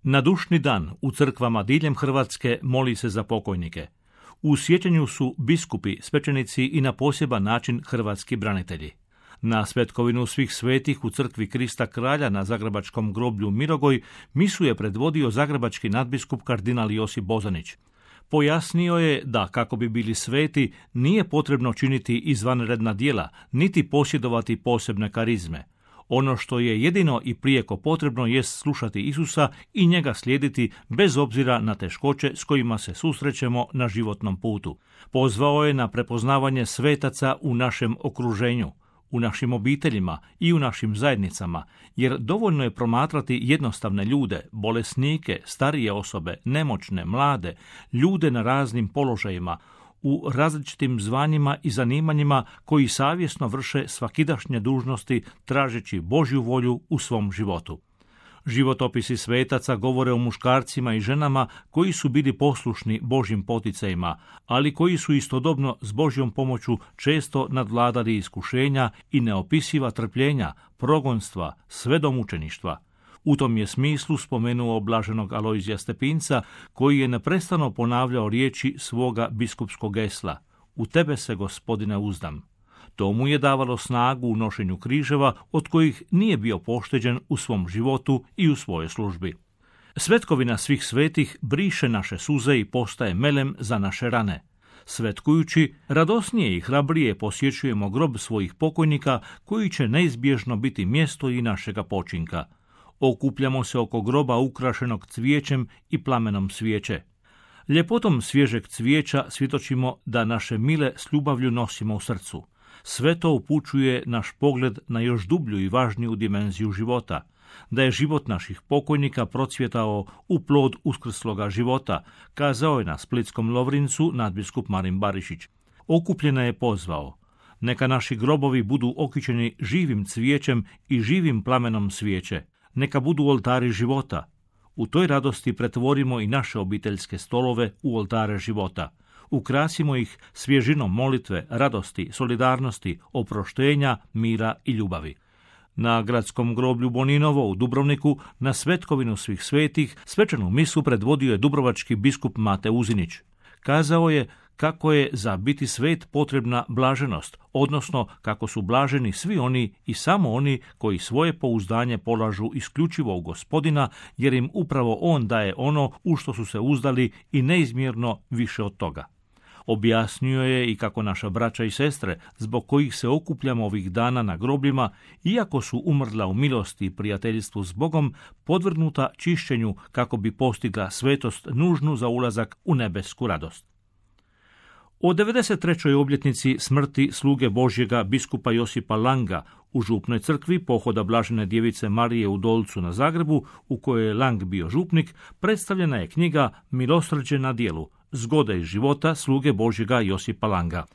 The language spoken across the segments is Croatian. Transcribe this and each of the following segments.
Na dušni dan u crkvama diljem Hrvatske moli se za pokojnike. U sjećanju su biskupi, svećenici i na poseban način hrvatski branitelji. Na svetkovinu svih svetih u crkvi Krista Kralja na zagrebačkom groblju Mirogoj misu je predvodio zagrebački nadbiskup kardinal Josip Bozanić. Pojasnio je da kako bi bili sveti nije potrebno činiti izvanredna djela, niti posjedovati posebne karizme. Ono što je jedino i prijeko potrebno jest slušati Isusa i njega slijediti bez obzira na teškoće s kojima se susrećemo na životnom putu. Pozvao je na prepoznavanje svetaca u našem okruženju, u našim obiteljima i u našim zajednicama, jer dovoljno je promatrati jednostavne ljude, bolesnike, starije osobe, nemoćne, mlade, ljude na raznim položajima, u različitim zvanjima i zanimanjima koji savjesno vrše svakidašnje dužnosti tražeći Božju volju u svom životu. Životopisi svetaca govore o muškarcima i ženama koji su bili poslušni Božjim poticajima, ali koji su istodobno s Božjom pomoću često nadvladali iskušenja i neopisiva trpljenja, progonstva, sve do mučeništva. U tom je smislu spomenuo blaženog Alojzija Stepinca, koji je neprestano ponavljao riječi svoga biskupskog gesla: "U tebe se, Gospodine, uzdam." To mu je davalo snagu u nošenju križeva, od kojih nije bio pošteđen u svom životu i u svojoj službi. Svetkovina svih svetih briše naše suze i postaje melem za naše rane. Svetkujući, radosnije i hrabrije posjećujemo grob svojih pokojnika, koji će neizbježno biti mjesto i našega počinka. Okupljamo se oko groba ukrašenog cvijećem i plamenom svijeće. Ljepotom svježeg cvijeća svjedočimo da naše mile s ljubavlju nosimo u srcu. Sve to upućuje naš pogled na još dublju i važniju dimenziju života, da je život naših pokojnika procvjetao u plod uskrsloga života, kazao je na splitskom Lovrincu nadbiskup Marin Barišić. Okupljene je pozvao: "Neka naši grobovi budu okićeni živim cvijećem i živim plamenom svijeće. Neka budu oltari života. U toj radosti pretvorimo i naše obiteljske stolove u oltare života. Ukrasimo ih svježinom molitve, radosti, solidarnosti, oproštenja, mira i ljubavi." Na gradskom groblju Boninovo u Dubrovniku na svetkovinu svih svetih svečanu misu predvodio je dubrovački biskup Mate Uzinić. Kazao je kako je za biti svet potrebna blaženost, odnosno kako su blaženi svi oni i samo oni koji svoje pouzdanje polažu isključivo u Gospodina, jer im upravo On daje ono u što su se uzdali i neizmjerno više od toga. Objasnio je i kako naša braća i sestre, zbog kojih se okupljamo ovih dana na grobljima, iako su umrla u milosti i prijateljstvu s Bogom, podvrgnuta čišćenju kako bi postigla svetost nužnu za ulazak u nebesku radost. O 93. obljetnici smrti sluge Božjega biskupa Josipa Langa u župnoj crkvi pohoda Blažene djevice Marije u Dolcu na Zagrebu, u kojoj je Lang bio župnik, predstavljena je knjiga Milosrđe na djelu, zgode iz života sluge Božjega Josipa Langa.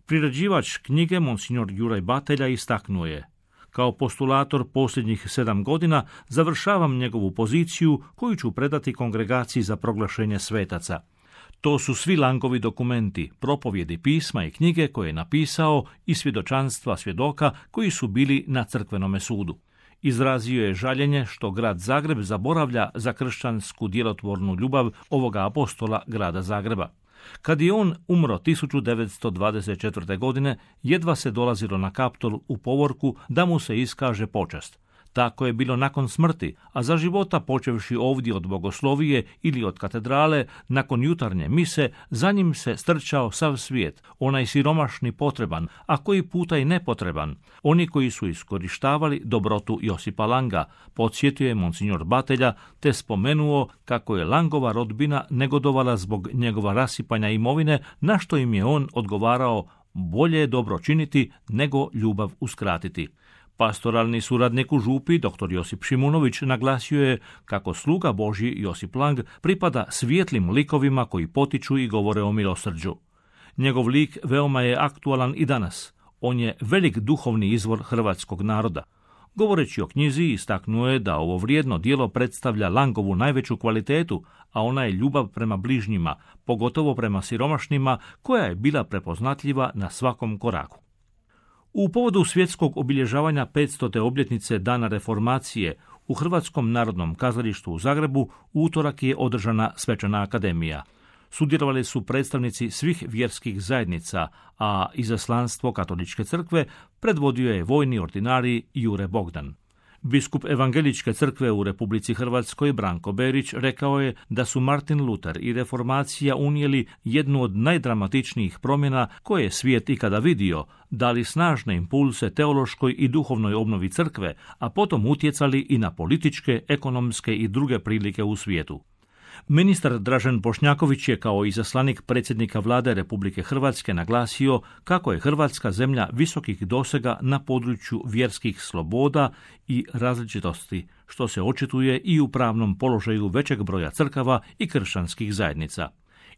Priređivač knjige, monsignor Juraj Batelja, istaknuo je: "Kao postulator posljednjih 7 godina završavam njegovu poziciju koju ću predati Kongregaciji za proglašenje svetaca. To su svi Langovi dokumenti, propovjedi, pisma i knjige koje je napisao i svjedočanstva svjedoka koji su bili na crkvenome sudu." Izrazio je žaljenje što grad Zagreb zaboravlja za kršćansku djelotvornu ljubav ovoga apostola grada Zagreba. Kad je on umro 1924. godine, jedva se dolazilo na Kaptol u povorku da mu se iskaže počast. Tako je bilo nakon smrti, a za života počevši ovdje od bogoslovije ili od katedrale, nakon jutarnje mise, za njim se strčao sav svijet, onaj siromašni potreban, a koji puta i nepotreban, oni koji su iskorištavali dobrotu Josipa Langa, podsjetio je monsignor Batelja, te spomenuo kako je Langova rodbina negodovala zbog njegova rasipanja imovine, na što im je on odgovarao: "Bolje je dobro činiti nego ljubav uskratiti." Pastoralni suradnik u župi, dr. Josip Šimunović, naglasio je kako sluga Božji Josip Lang pripada svijetlim likovima koji potiču i govore o milosrđu. Njegov lik veoma je aktualan i danas. On je velik duhovni izvor hrvatskog naroda. Govoreći o knjizi, istaknuo je da ovo vrijedno djelo predstavlja Langovu najveću kvalitetu, a ona je ljubav prema bližnjima, pogotovo prema siromašnima, koja je bila prepoznatljiva na svakom koraku. U povodu svjetskog obilježavanja 500. obljetnice Dana reformacije U Hrvatskom narodnom kazalištu u Zagrebu u utorak je održana svečana akademija. Sudjelovali su predstavnici svih vjerskih zajednica, a izaslanstvo Katoličke crkve predvodio je vojni ordinarij Jure Bogdan. Biskup Evangeličke crkve u Republici Hrvatskoj Branko Berić rekao je da su Martin Luter i reformacija unijeli jednu od najdramatičnijih promjena koje je svijet ikada vidio, dali snažne impulse teološkoj i duhovnoj obnovi crkve, a potom utjecali i na političke, ekonomske i druge prilike u svijetu. Ministar Dražen Bošnjaković je kao izaslanik predsjednika Vlade Republike Hrvatske naglasio kako je Hrvatska zemlja visokih dosega na području vjerskih sloboda i različitosti, što se očituje i u pravnom položaju većeg broja crkava i kršćanskih zajednica.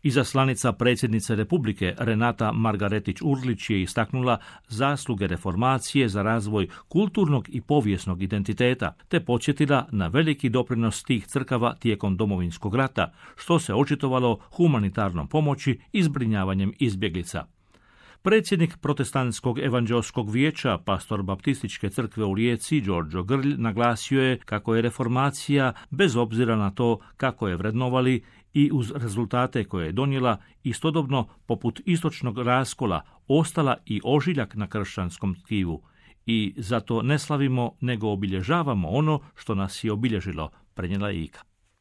Izaslanica predsjednice Republike Renata Margaretić-Urlić je istaknula zasluge reformacije za razvoj kulturnog i povijesnog identiteta, te podsjetila na veliki doprinos tih crkava tijekom Domovinskog rata, što se očitovalo humanitarnom pomoći i zbrinjavanjem izbjeglica. Predsjednik Protestantskog evanđeoskog vijeća, pastor Baptističke crkve u Rijeci, Đorđo Grlj, naglasio je kako je reformacija, bez obzira na to kako je vrednovali i uz rezultate koje je donijela, istodobno poput istočnog raskola ostala i ožiljak na kršćanskom tkivu. I zato ne slavimo, nego obilježavamo ono što nas je obilježilo, prenijela Ika.